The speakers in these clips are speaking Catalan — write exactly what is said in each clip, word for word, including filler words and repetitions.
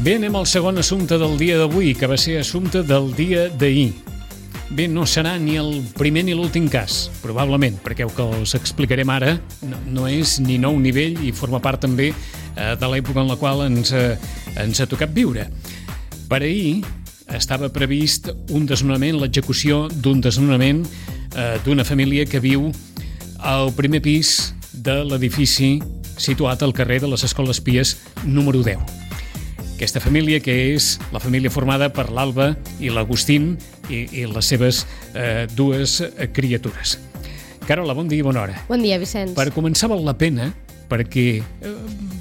Bé, anem al segon assumpte del dia d'avui, que va ser assumpte del dia d'ahir. Bé, no serà ni el primer ni l'últim cas, probablement, perquè el que us explicarem ara no, no és ni nou nivell i forma part també eh, de l'època en la qual ens, eh, ens ha tocat viure. Per ahir estava previst un desnonament, l'execució d'un desnonament eh, d'una família que viu al primer pis de l'edifici situat al carrer de les Escoles Pies número deu. Aquesta família, que és la família formada per l'Alba i l'Agustín i, i les seves eh, dues criatures. Carola, bon dia i bona hora. Bon dia, Vicenç. Per començar val la pena, perquè eh,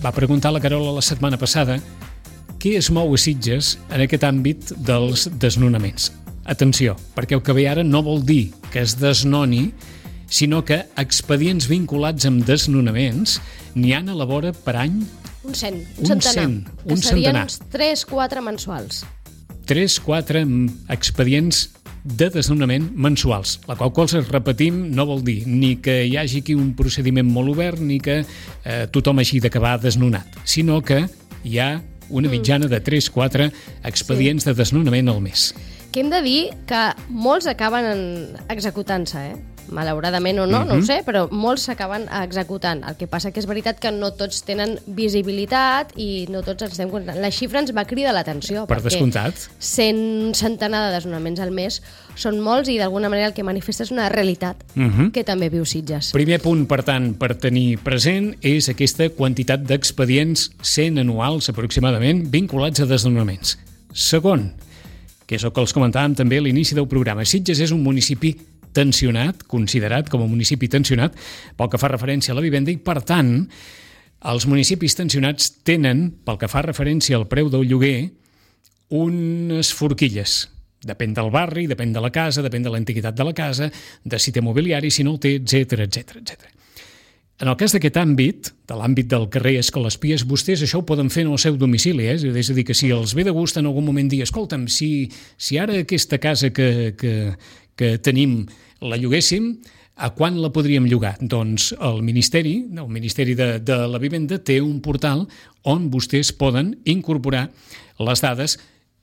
va preguntar la Carola la setmana passada què es mou a Sitges en aquest àmbit dels desnonaments. Atenció, perquè el que ve ara no vol dir que es desnoni, sinó que expedients vinculats amb desnonaments n'hi han a la vora per any. Un cent, un, un centenar. cent, que un serien centenar. uns tres quatre mensuals. tres quatre expedients de desnonament mensuals, la qual cosa, repetim, no vol dir ni que hi hagi aquí un procediment molt obert ni que eh, tothom hagi d'acabar desnonat, sinó que hi ha una mitjana de tres quatre expedients sí. de desnonament al mes. Que hem de dir que molts acaben executant-se, eh? Malauradament o no, uh-huh. no ho sé, però molts s'acaben executant. El que passa que és veritat que no tots tenen visibilitat i no tots ens estem comptant. La xifra ens va cridar l'atenció. Per descomptat. Cent centenar de desnonaments al mes són molts i d'alguna manera el que manifesta és una realitat uh-huh. que també viu Sitges. Primer punt, per tant, per tenir present és aquesta quantitat d'expedients, cent anuals aproximadament, vinculats a desnonaments. Segon, que és el que els comentàvem també a l'inici del programa, Sitges és un municipi tensionat, considerat com a municipi tensionat pel que fa referència a la vivenda i, per tant, els municipis tensionats tenen, pel que fa referència al preu del lloguer, unes forquilles. Depèn del barri, depèn de la casa, depèn de l'antiguitat de la casa, de si té mobiliari, si no el té, etcètera, etcètera, etcètera. En el cas d'aquest àmbit, de l'àmbit del carrer Escoles Pies, vostès això ho poden fer en el seu domicili, eh? És a dir, que si els ve de gust en algun moment dir, escolta'm, si, si ara aquesta casa que, que, que tenim la lloguéssim, a quan la podríem llogar? Doncs el Ministeri, el Ministeri de, de la Vivenda té un portal on vostès poden incorporar les dades.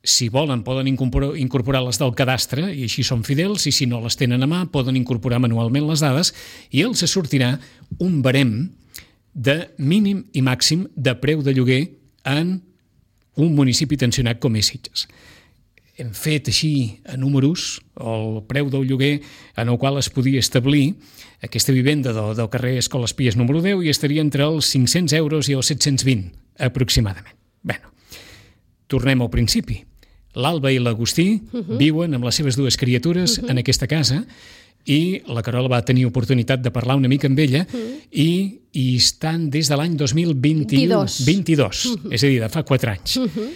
Si volen, poden incorporar, incorporar les del cadastre i així són fidels, i si no les tenen a mà, poden incorporar manualment les dades i els sortirà un barem de mínim i màxim de preu de lloguer en un municipi tensionat com és Sitges. Hem fet així a números el preu del lloguer en el qual es podia establir aquesta vivenda del, del carrer Escoles Pies número deu i estaria entre els cinc-cents euros i els set-cents vint, aproximadament. Bé, tornem al principi. L'Alba i l'Agustí uh-huh. viuen amb les seves dues criatures uh-huh. en aquesta casa i la Carola va tenir oportunitat de parlar una mica amb ella uh-huh. i hi estan des de l'any dos mil vint-i-u, vint-i-dos, uh-huh. és a dir, de fa quatre anys. Uh-huh.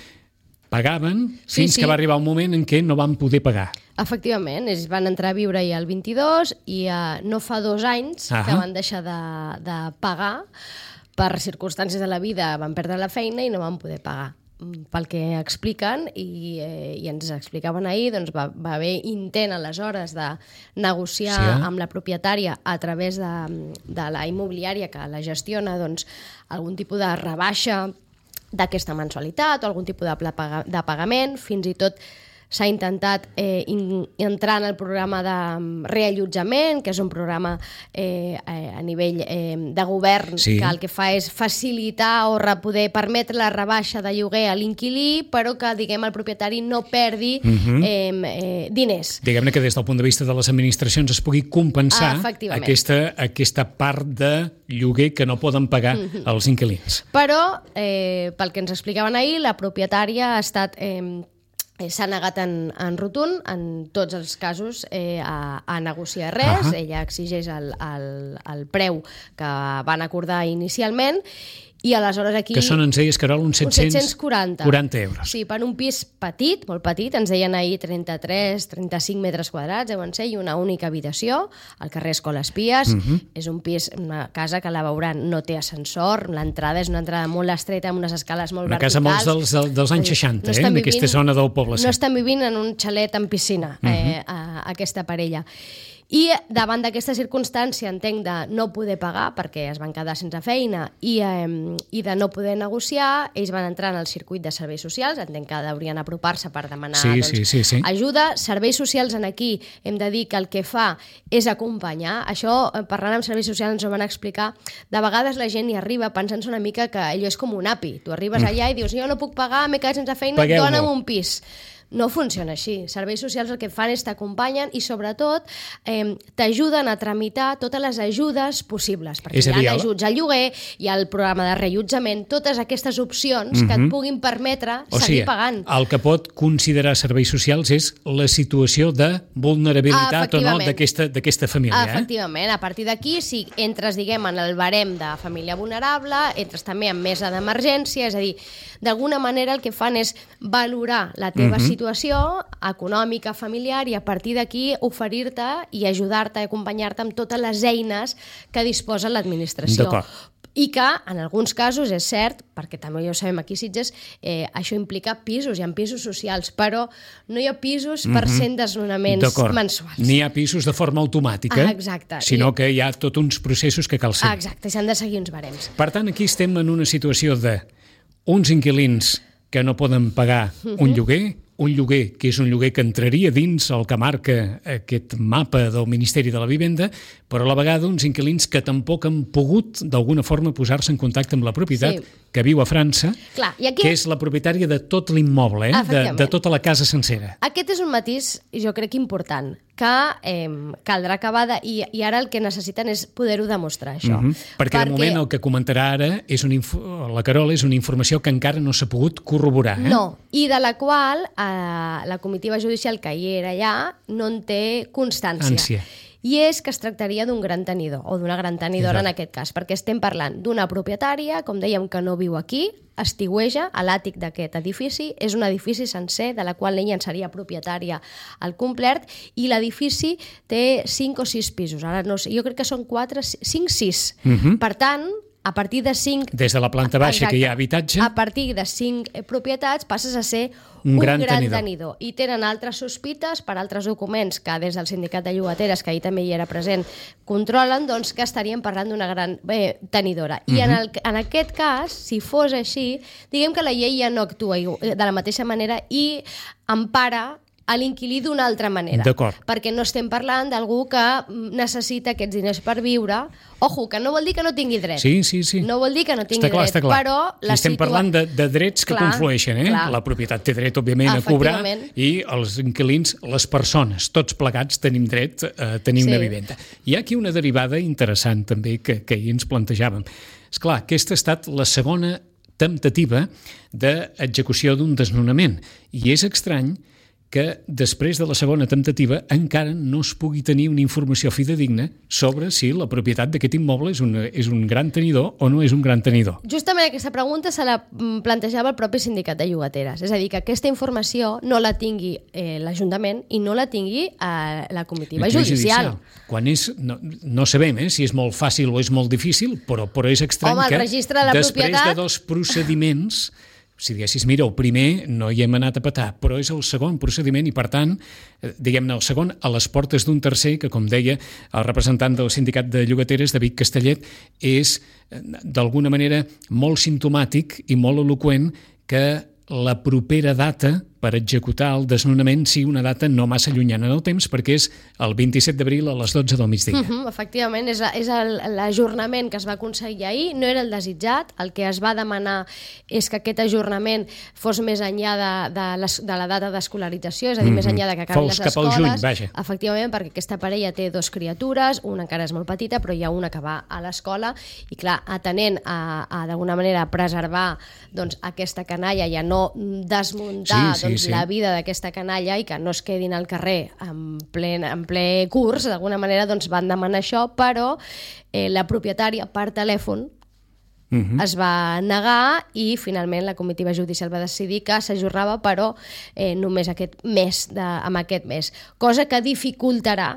Pagaven sí, fins sí. que va arribar un moment en què no van poder pagar. Efectivament, ells van entrar a viure ja el vint-i-dos i uh, no fa dos anys uh-huh. que van deixar de, de pagar per circumstàncies de la vida, van perdre la feina i no van poder pagar. Pel que expliquen i, eh, i ens explicaven ahir, doncs va, va haver intent aleshores de negociar sí, eh? amb la propietària a través de, de la immobiliària que la gestiona, doncs, algun tipus de rebaixa d'aquesta mensualitat o algun tipus de, pla, de pagament. Fins i tot s'ha intentat eh, in, entrar en el programa de reallotjament, que és un programa eh, a nivell eh, de govern sí. que el que fa és facilitar o poder permetre la rebaixa de lloguer a l'inquilí, però que, diguem, el propietari no perdi uh-huh. eh, eh, diners. Diguem-ne que des del punt de vista de les administracions es pugui compensar ah, aquesta, aquesta part de lloguer que no poden pagar uh-huh. els inquilins. Però, eh, pel que ens explicaven ahir, la propietària ha estat... Eh, s'ha negat en, en rotund, en tots els casos, eh, a, a negociar res. Uh-huh. Ella exigeix el, el, el preu que van acordar inicialment i aleshores aquí... Que són, ens deies, Carol, uns set-cents quaranta euros. Sí, per un pis petit, molt petit, ens deien ahir trenta-tres trenta-cinc metres quadrats, deuen ser, i una única habitació, al carrer Escoles Pies. Uh-huh. És un pis, una casa que la veuran, no té ascensor, l'entrada és una entrada molt estreta, amb unes escales molt una verticals. Una casa molts dels, dels anys seixanta, no eh, d'aquesta zona del poble. No estan vivint en un xalet amb piscina, uh-huh. eh, a, a aquesta parella. I davant d'aquesta circumstància, entenc, de no poder pagar perquè es van quedar sense feina i, eh, i de no poder negociar, ells van entrar en el circuit de serveis socials, entenc que haurien apropar-se per demanar sí, doncs, sí, sí, sí. ajuda. Serveis socials en aquí hem de dir que el que fa és acompanyar. Això, parlant amb serveis socials, ens ho van explicar. De vegades la gent hi arriba pensant-se una mica que allò és com un api. Tu arribes allà i dius, jo no puc pagar, m'he quedat sense feina, dona'm un pis. No funciona així. Serveis socials el que fan és t'acompanyen i, sobretot, eh, t'ajuden a tramitar totes les ajudes possibles. Perquè hi ha ajuts al lloguer, hi ha el programa de reallotjament, totes aquestes opcions mm-hmm. que et puguin permetre o seguir sigui, pagant. El que pot considerar serveis socials és la situació de vulnerabilitat o no d'aquesta família. Efectivament. Eh? A partir d'aquí, si entres, diguem, en el barem de família vulnerable, entres també en mesa d'emergència, és a dir, d'alguna manera el que fan és valorar la teva mm-hmm. situació econòmica, familiar, i a partir d'aquí oferir-te i ajudar-te, acompanyar-te amb totes les eines que disposa l'administració. I que, en alguns casos, és cert, perquè també ja ho sabem aquí a Sitges, eh, això implica pisos, hi ha pisos socials, però no hi ha pisos per mm-hmm. cent desnonaments mensuals. Ni hi ha pisos de forma automàtica, ah, exacte. sinó I... que hi ha tots uns processos que cal seguir. Ah, exacte, s'han de seguir uns barems. Per tant, aquí estem en una situació de uns inquilins que no poden pagar un lloguer, un lloguer que és un lloguer que entraria dins el que marca aquest mapa del Ministeri de la Vivenda, però a la vegada uns inquilins que tampoc han pogut d'alguna forma posar-se en contacte amb la propietat, sí. que viu a França, Clar, i aquí... que és la propietària de tot l'immoble, eh? de, de tota la casa sencera. Aquest és un matís, jo crec, important, que eh, caldrà acabar de... I, i ara el que necessiten és poder-ho demostrar, això. Mm-hmm. Perquè, perquè de moment el que comentarà ara és una info... la Carola és una informació que encara no s'ha pogut corroborar. Eh? No, i de la qual eh, la comitiva judicial que hi era allà no en té constància. Ànsia. I és que es tractaria d'un gran tenidor, o d'una gran tenidora en aquest cas, perquè estem parlant d'una propietària, com dèiem, que no viu aquí, estiueja a l'àtic d'aquest edifici, és un edifici sencer de la qual ella en seria propietària al complet, i l'edifici té cinc o sis pisos. Ara no sé, jo crec que són quatre, cinc, sis. Mm-hmm. Per tant, a partir de cinc... Des de la planta baixa, exacte, que hi ha habitatge... A partir de cinc propietats passes a ser un, un gran, gran tenidor. tenidor. I tenen altres sospites per altres documents que des del sindicat de llogateres, que ahir també hi era present, controlen, doncs que estaríem parlant d'una gran eh, tenidora. I uh-huh. en, el, en aquest cas, si fos així, diguem que la llei ja no actua de la mateixa manera i empara a l'inquilí d'una altra manera. D'acord. Perquè no estem parlant d'algú que necessita aquests diners per viure. Ojo, que no vol dir que no tingui dret. Sí, sí, sí. No vol dir que no tingui està clar, dret. Està clar. Però la estem situa... parlant de, de drets que clar, conflueixen. Eh? La propietat té dret, òbviament, a cobrar i els inquilins, les persones, tots plegats tenim dret a tenir sí. una vivenda. Hi ha aquí una derivada interessant també que, que ahir ens plantejàvem. Esclar, aquesta ha estat la segona temptativa d'execució d'un desnonament. I és estrany que després de la segona temptativa encara no es pugui tenir una informació fidedigna sobre si la propietat d'aquest immoble és un, és un gran tenidor o no és un gran tenidor. Justament aquesta pregunta se la plantejava el propi sindicat de llogateres. És a dir, que aquesta informació no la tingui eh, l'Ajuntament i no la tingui eh, la comitiva judicial. judicial. Quan és, no, no sabem eh, si és molt fàcil o és molt difícil, però, però és estrany Home, que de després propietat... de dos procediments... Si diguessis, mira, el primer no hi hem anat a petar, però és el segon procediment i, per tant, diguem-ne, el segon a les portes d'un tercer que, com deia el representant del sindicat de llogateres, David Castellet, és, d'alguna manera, molt simptomàtic i molt eloqüent que la propera data per executar el desnonament sigui una data no massa llunyana en el temps, perquè és el vint-i-set d'abril a les dotze del migdia. Uh-huh, efectivament, és, és l'ajornament que es va aconseguir ahir, no era el desitjat, el que es va demanar és que aquest ajornament fos més enllà de, de, les, de la data d'escolarització, és a dir, uh-huh. més enllà de que acabin les escoles. Cap al juny, vaja. Efectivament, perquè aquesta parella té dos criatures, una encara és molt petita, però hi ha una que va a l'escola, i clar, atenent a, a d'alguna manera, preservar doncs, aquesta canalla i a no desmuntar sí, sí. doncs, sí. la vida d'aquesta canalla i que no es quedin al carrer en ple, en ple curs, d'alguna manera doncs van demanar això, però eh, la propietària per telèfon uh-huh. es va negar i finalment la comitiva judicial va decidir que s'ajornava, però eh, només aquest mes de, amb aquest mes, cosa que dificultarà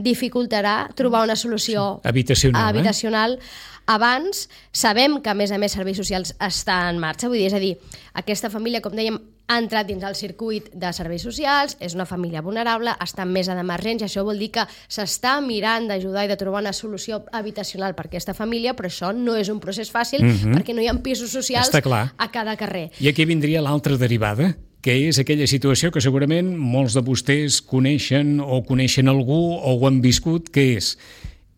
dificultarà trobar una solució habitacional, habitacional eh? Abans sabem que, a més a més, serveis socials està en marxa, vull dir, és a dir, aquesta família, com dèiem, ha entrat dins el circuit de serveis socials, és una família vulnerable, està en mesa d'emergència, això vol dir que s'està mirant d'ajudar i de trobar una solució habitacional per a aquesta família, però això no és un procés fàcil mm-hmm. perquè no hi ha pisos socials a cada carrer. I aquí vindria l'altra derivada, que és aquella situació que segurament molts de vostès coneixen o coneixen algú o ho han viscut, que és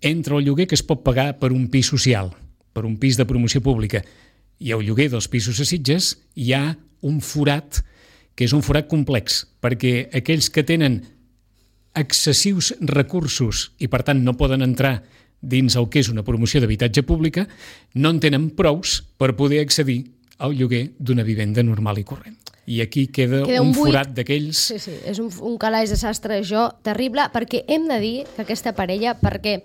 entre el lloguer que es pot pagar per un pis social, per un pis de promoció pública, i el lloguer dels pisos a Sitges, hi ha un forat que és un forat complex, perquè aquells que tenen excessius recursos i per tant no poden entrar dins el que és una promoció d'habitatge pública, no en tenen prous per poder accedir al lloguer d'una vivenda normal i corrent. I aquí queda, queda un, un forat d'aquells... Sí, sí, és un, un calaix de sastre, això, terrible, perquè hem de dir que aquesta parella, perquè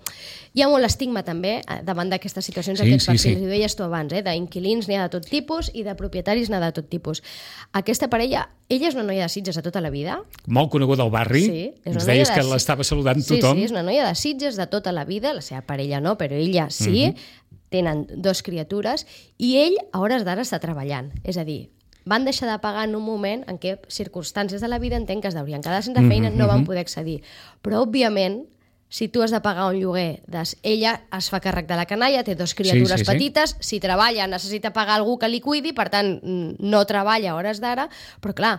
hi ha molt estigma també davant d'aquestes situacions, sí, aquests sí, perfils, sí. Ho deies tu abans, eh? D'inquilins n'hi ha de tot tipus i de propietaris n'hi ha de tot tipus. Aquesta parella, ella és una noia de Sitges de tota la vida. Molt coneguda al barri, sí, ens deies que de... l'estava saludant sí, tothom. Sí, és una noia de Sitges de tota la vida, la seva parella no, però ella sí, mm-hmm. tenen dos criatures, i ell a hores d'ara està treballant, és a dir, van deixar de pagar en un moment en què circumstàncies de la vida entenc que es deurien quedar sense feina, mm-hmm. no van poder accedir. Però, òbviament, si tu has de pagar un lloguer, des... ella es fa càrrec de la canalla, té dos criatures sí, sí, petites, sí. Si treballa necessita pagar algú que li cuidi, per tant, no treballa a hores d'ara, però clar,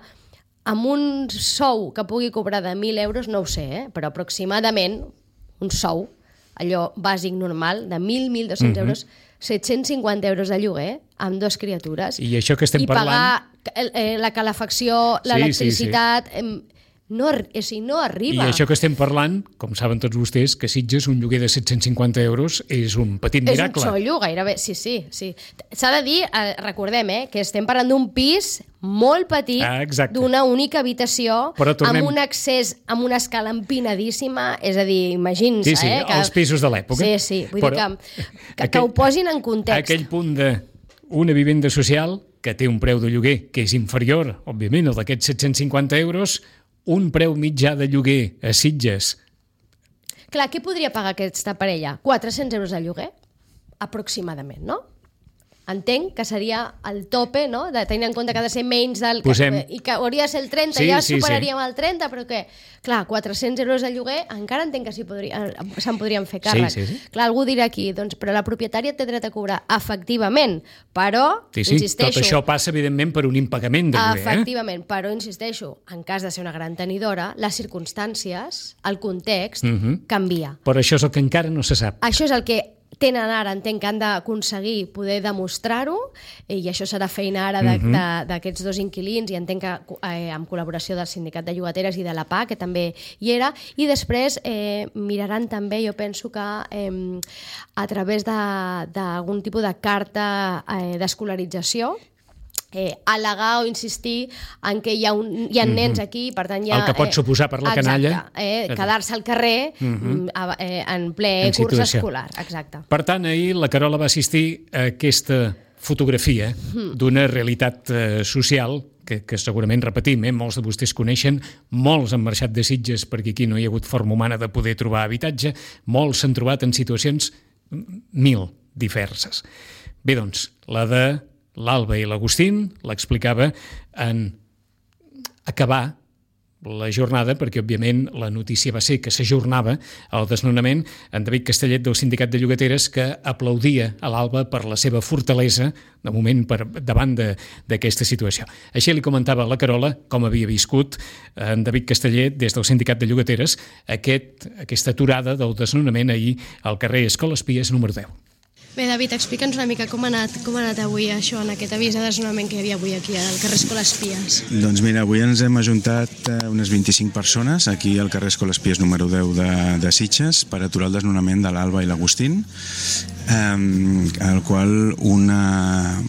amb un sou que pugui cobrar de mil euros, no ho sé, eh? Però aproximadament un sou, allò bàsic normal, de mil, mil dos-cents mm-hmm. euros, set-cents cinquanta euros de lloguer amb dos criatures. I això que estem i parlant... I pagar eh, la calefacció, l'electricitat... Sí, sí, sí. No, o sigui, no arriba. I això que estem parlant, com saben tots vostès, que Sitges un lloguer de set-cents cinquanta euros és un petit miracle. És un xollo, gairebé, sí, sí. sí. S'ha de dir, eh, recordem, eh, que estem parlant d'un pis molt petit, ah, d'una única habitació, tornem... amb un accés, amb una escala empinadíssima, és a dir, imagina-se... Sí, sí, eh, que... els pisos de l'època. Sí, sí, vull Però... dir que, que, aquell... que ho posin en context. Aquell punt de una vivenda social que té un preu de lloguer que és inferior, òbviament, al d'aquests set-cents cinquanta euros, un preu mitjà de lloguer a Sitges. Clar, què podria pagar aquesta parella? quatre-cents euros de lloguer? Aproximadament, no? Entenc que seria el tope, no? De tenir en compte que ha de ser menys del... Posem... I que hauria de ser el trenta, sí, ja sí, superaríem sí. el trenta, però què? Clar, quatre-cents euros de lloguer, encara entenc que se'n podria, se podrien fer càrrec. Sí, sí, sí. Clar, algú dirà aquí, doncs, però la propietària té dret a cobrar, efectivament, però, sí, sí. insisteixo... Tot això passa, evidentment, per un impagament de lloguer. Efectivament, eh? Però, insisteixo, en cas de ser una gran tenidora, les circumstàncies, el context, uh-huh. canvia. Però això és el que encara no se sap. Això és el que tenen ara, entenc que han d'aconseguir poder demostrar-ho, i això serà feina ara d'aquests dos inquilins, i entenc que eh, amb col·laboració del Sindicat de Llogateres i de la P A, que també hi era, i després eh, miraran també, jo penso que eh, a través d'algun tipus de carta eh, d'escolarització, Eh, al·legar o insistir en que hi ha, un, hi ha nens aquí, per tant hi ha... El que pot suposar per la canalla... Exacte, eh, quedar-se al carrer uh-huh. eh, en ple en curs situació. Escolar. Exacte. Per tant, ahir la Carola va assistir a aquesta fotografia uh-huh. d'una realitat eh, social que, que segurament repetim, eh, molts de vostès coneixen, molts han marxat de Sitges perquè aquí no hi ha hagut forma humana de poder trobar habitatge, molts s'han trobat en situacions mil diverses. Bé, doncs, la de l'Alba i l'Agustín l'explicava en acabar la jornada, perquè, òbviament, la notícia va ser que s'ajornava el desnonament, en David Castellet, del Sindicat de Llogateres, que aplaudia a l'Alba per la seva fortalesa, de moment, per, davant d'aquesta situació. Així li comentava a la Carola com havia viscut en David Castellet, des del Sindicat de Llogateres, aquest, aquesta aturada del desnonament ahir al carrer Escoles Pies número deu. Bé, David, explica'ns una mica com ha anat, com ha anat avui això, en aquest avís de desnonament que hi havia avui aquí al carrer Escoles Pies. Doncs mira, avui ens hem ajuntat unes vint-i-cinc persones aquí al carrer Escoles Pies número deu de, de Sitges per aturar el desnonament de l'Alba i l'Agustín, eh, al qual una...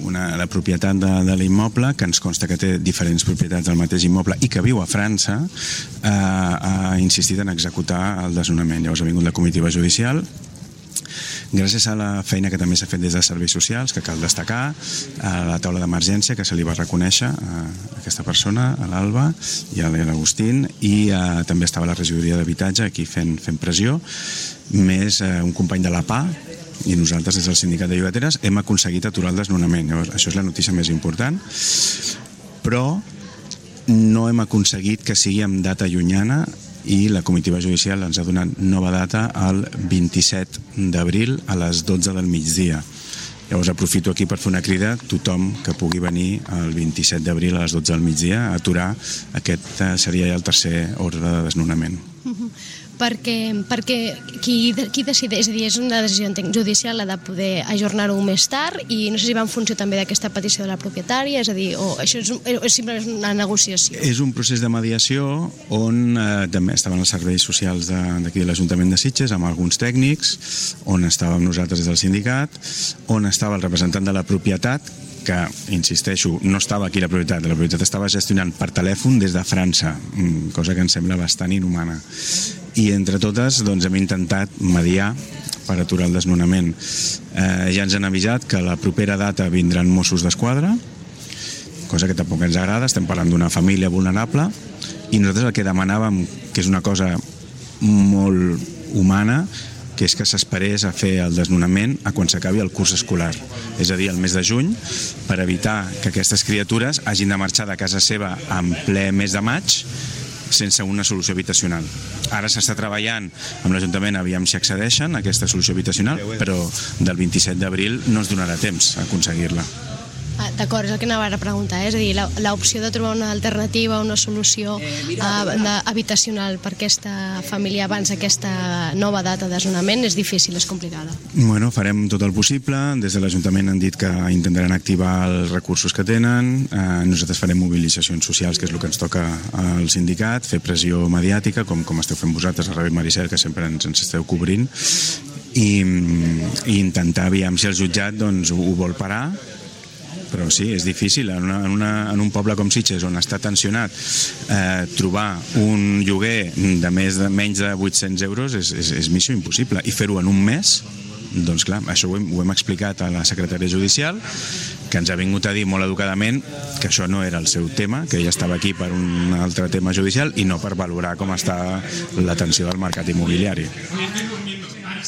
Una, la propietat de, de l'immoble, que ens consta que té diferents propietats del mateix immoble i que viu a França, eh, ha insistit en executar el desnonament. Llavors ha vingut la comitiva judicial, gràcies a la feina que també s'ha fet des de serveis socials, que cal destacar, a la taula d'emergència que se li va reconèixer a aquesta persona, a l'Alba i a l'Agustín, i eh, també estava la regidoria d'habitatge aquí fent, fent pressió, més eh, un company de la P A, i nosaltres des del Sindicat de Llogateres hem aconseguit aturar el desnonament. Llavors, això és la notícia més important. però no hem aconseguit que sigui amb data llunyana i la comitiva judicial ens ha donat nova data el vint-i-set d'abril a les dotze del migdia. Llavors aprofito aquí per fer una crida a tothom que pugui venir el vint-i-set d'abril a les dotze del migdia a aturar aquest seria ja el tercer ordre de desnonament. Perquè, perquè qui, qui decideix, és a dir, és una decisió judicial la de poder ajornar-ho més tard i no sé si va en funció també d'aquesta petició de la propietària, és a dir, o això és, és simplement una negociació. És un procés de mediació on eh, també estaven els serveis socials d'aquí de l'Ajuntament de Sitges amb alguns tècnics, on estàvem nosaltres des del sindicat, on estava el representant de la propietat, que, insisteixo, no estava aquí la propietat, la propietat estava gestionant per telèfon des de França, cosa que ens sembla bastant inhumana. I entre totes doncs, hem intentat mediar per aturar el desnonament. Eh, ja ens han avisat que a la propera data vindran Mossos d'Esquadra, cosa que tampoc ens agrada, estem parlant d'una família vulnerable, i nosaltres el que demanàvem, que és una cosa molt humana, que és que s'esperés a fer el desnonament a quan s'acabi el curs escolar, és a dir, el mes de juny, per evitar que aquestes criatures hagin de marxar de casa seva en ple mes de maig sense una solució habitacional. Ara s'està treballant amb l'Ajuntament, aviam si accedeixen a aquesta solució habitacional, però del vint-i-set d'abril no ens donarà temps a aconseguir-la. Ah, D'acord, és el que anava a preguntar, eh? És a dir, l'opció de trobar una alternativa, una solució eh, habitacional per aquesta família abans d'aquesta nova data de desnonament és difícil, és complicada. Bueno, farem tot el possible. Des de l'Ajuntament han dit que intentaran activar els recursos que tenen. Eh, nosaltres farem mobilitzacions socials, que és el que ens toca al sindicat, fer pressió mediàtica, com, com esteu fent vosaltres a Ràdio Maricel, que sempre ens, ens esteu cobrint, i, i intentar, aviam si el jutjat doncs, ho, ho vol parar. Però sí, és difícil. En, una, en, una, en un poble com Sitges, on està tensionat, eh, trobar un lloguer de, més de menys de vuit-cents euros és, és, és missió impossible. I fer-ho en un mes, doncs clar, això ho hem, ho hem explicat a la secretària judicial, que ens ha vingut a dir molt educadament que això no era el seu tema, que ella estava aquí per un altre tema judicial i no per valorar com està la tensió del mercat immobiliari.